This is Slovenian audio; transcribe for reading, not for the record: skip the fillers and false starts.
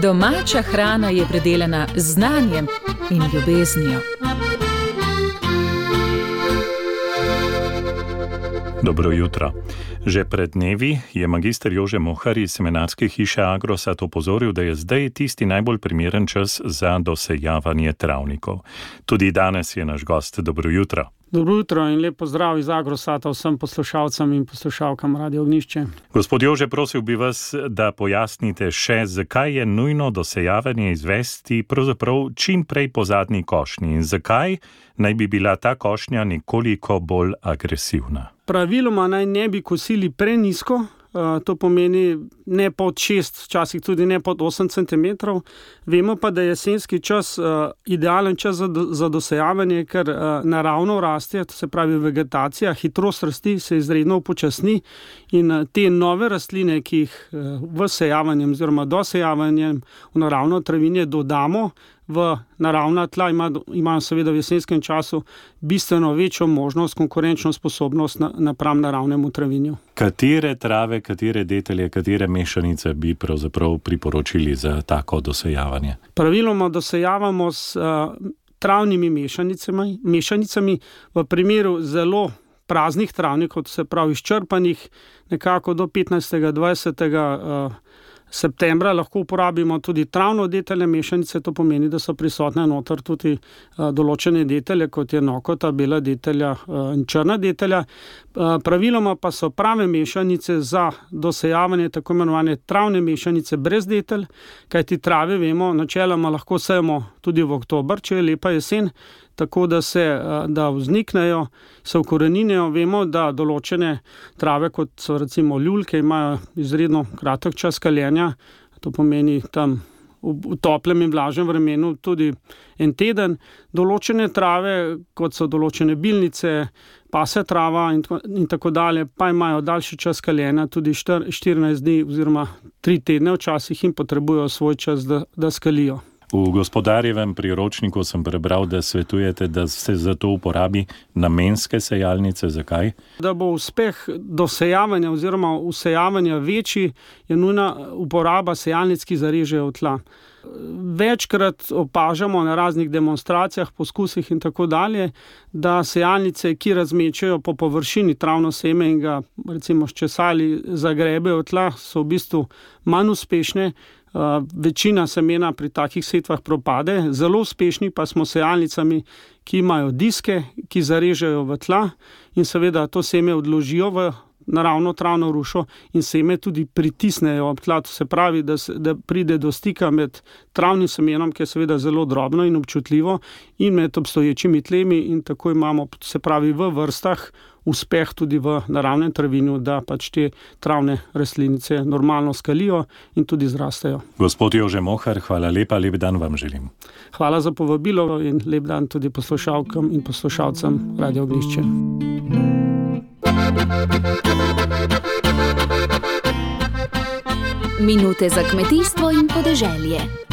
Domača hrana je predelana z znanjem in ljubeznijo. Dobro jutro. Že pred dnevi je magister Jože Mohar iz semenarske hiše Agrosat opozoril, da je zdaj tisti najbolj primeren čas za dosejavanje travnikov. Tudi danes je naš gost. Dobro jutro. Dobro jutro in lep pozdrav iz Agrosata vsem poslušalcem in poslušalkam Radio Ognjišče. Gospod Jože, prosil bi vas, da pojasnite še, zakaj je nujno dosejavanje izvesti pravzaprav čim prej po zadnji košnji in zakaj naj bi bila ta košnja nekoliko bolj agresivna. Praviloma naj ne bi kosili prenizko, to pomeni ne pod 6, včasih tudi ne pod 8 cm. Vemo pa, da je jesenski čas idealen čas za dosejavanje, ker naravno raste, to se pravi vegetacija, hitrost rasti se izredno upočasni in te nove rastline, ki jih v sejavanjem oziroma dosejavanjem v naravno travinje dodamo v naravna tla, imajo seveda v jesenskem času bistveno večjo možnost, konkurenčno sposobnost napram naravnemu travinju. Katere trave, katere detelje, katere mešanice bi pravzaprav priporočili za tako dosejavanje? Praviloma dosejavamo s travnimi mešanicami v primeru zelo praznih travnikov, to se pravi izčrpanih, nekako do 15. 20. septembra lahko uporabimo tudi travno detelje mešanice, to pomeni, da so prisotne noter tudi določene detelje, kot je nokota, bela detelja in črna detelja. Praviloma pa so prave mešanice za dosejavanje tako imenovane travne mešanice brez detelj, kajti trave, vemo, načeloma lahko sejemo tudi v oktober, če je lepa jesen, tako da vzniknejo, se ukoreninijo. Vemo, da določene trave, kot so recimo ljulke, imajo izredno kratek čas kaljenja, to pomeni tam v toplem in vlažnem vremenu tudi en teden. Določene trave, kot so določene bilnice, pase trava in tako dalje, pa imajo daljši čas kaljenja, tudi 14 dni oziroma 3 tedne včasih in potrebujejo svoj čas, da skalijo. V gospodarjevem priročniku sem prebral, da svetujete, da se za to uporabi namenske sejalnice. Zakaj? Da bo uspeh dosejavanja oziroma usejavanja večji, je nujna uporaba sejalnic, ki zarežejo tla. Večkrat opažamo na raznih demonstracijah, poskusih in tako dalje, da sejalnice, ki razmečajo po površini travno seme in ga recimo sčesali zagrebejo tla, so v bistvu manj uspešne. Večina semena pri takih setvah propade, zelo uspešni pa smo sejalnicami, ki imajo diske, ki zarežejo v tla in seveda to seme odložijo v naravno travno rušo in seme tudi pritisnejo ob tla. To se pravi, da pride do stika med travnim semenom, ki je seveda zelo drobno in občutljivo, in med obstoječimi tlemi in tako imamo, se pravi, v vrstah uspeh tudi v naravnem travinju, da pač te travne rastlinice normalno skalijo in tudi zrastejo. Gospod Jože Mohar, hvala lepa, lep dan vam želim. Hvala za povabilo in lep dan tudi poslušalkam in poslušalcem Radio Ognjišče. Minute za kmetijstvo in podeželje.